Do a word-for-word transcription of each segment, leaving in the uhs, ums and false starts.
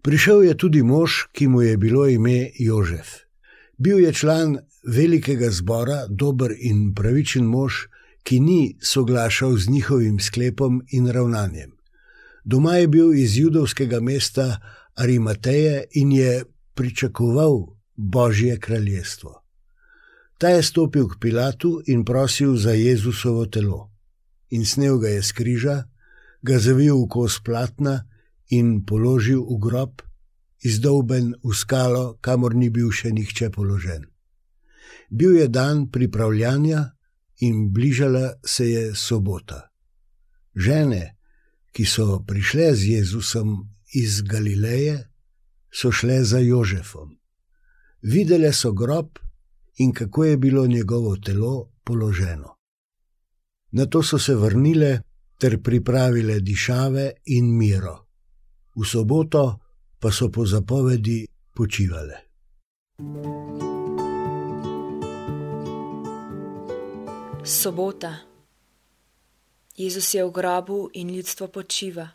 Prišel je tudi mož, ki mu je bilo ime Jožef. Bil je član velikega zbora, dober in pravičen mož, ki ni soglašal z njihovim sklepom in ravnanjem. Doma je bil iz judovskega mesta Arimateje in je pričakoval Božje kraljestvo. Ta je stopil k Pilatu in prosil za Jezusovo telo. In snel ga je s križa, ga zavil v kos platna in položil v grob, izdolben v skalo, kamor ni bil še nihče položen. Bil je dan pripravljanja in bližala se je sobota. Žene, ki so prišle z Jezusom iz Galileje, so šle za Jožefom. Videle so grob in kako je bilo njegovo telo položeno. Nato so se vrnile ter pripravile dišave in miro. V soboto pa so po zapovedi počivale. Sobota. Jezus je v grobu in ljudstvo počiva.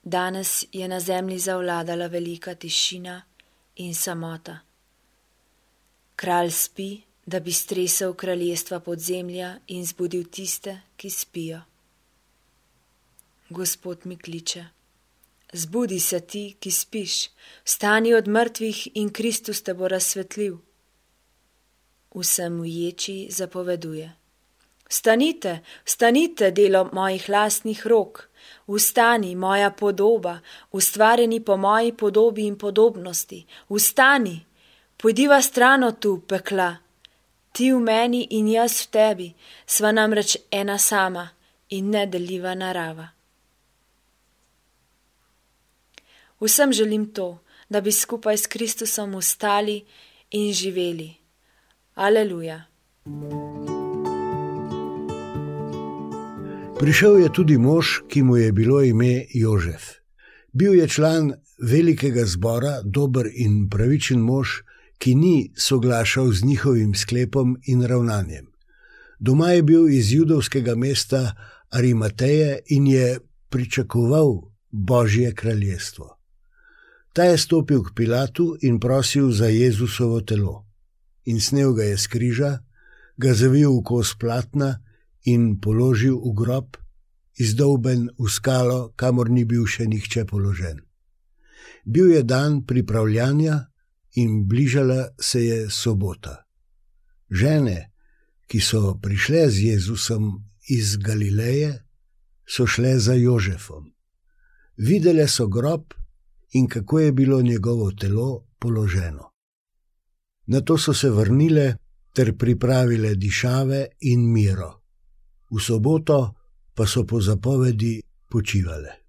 Danes je na zemlji zavladala velika tišina in samota. Kralj spi, da bi stresel kraljestva podzemlja in zbudil tiste, ki spijo. Gospod mi kliče: zbudi se ti, ki spiš, vstani od mrtvih in Kristus te bo razsvetlil. Vsem v ječi zapoveduje: vstanite, vstanite, delo mojih lastnih rok, vstani, moja podoba, ustvarjeni po moji podobi in podobnosti, vstani, pojdiva stran od tu pekla, ti v meni in jaz v tebi, sva namreč ena sama in nedeljiva narava. Vsem želim to, da bi skupaj s Kristusom vstali in živeli. Aleluja. Prišel je tudi mož, ki mu je bilo ime Jožef. Bil je član velikega zbora, dober in pravičen mož, ki ni soglašal z njihovim sklepom in ravnanjem. Doma je bil iz judovskega mesta Arimateje in je pričakoval Božje kraljestvo. Ta je stopil k Pilatu in prosil za Jezusovo telo. In snel ga je s križa, ga zavil v kos platna in položil v grob, izdolben v skalo, kamor ni bil še nihče položen. Bil je dan pripravljanja in bližala se je sobota. Žene, ki so prišle z Jezusom iz Galileje, so šle za Jožefom. Videle so grob in kako je bilo njegovo telo položeno. Nato so se vrnile ter pripravile dišave in miro. V soboto pa so po zapovedi počivale.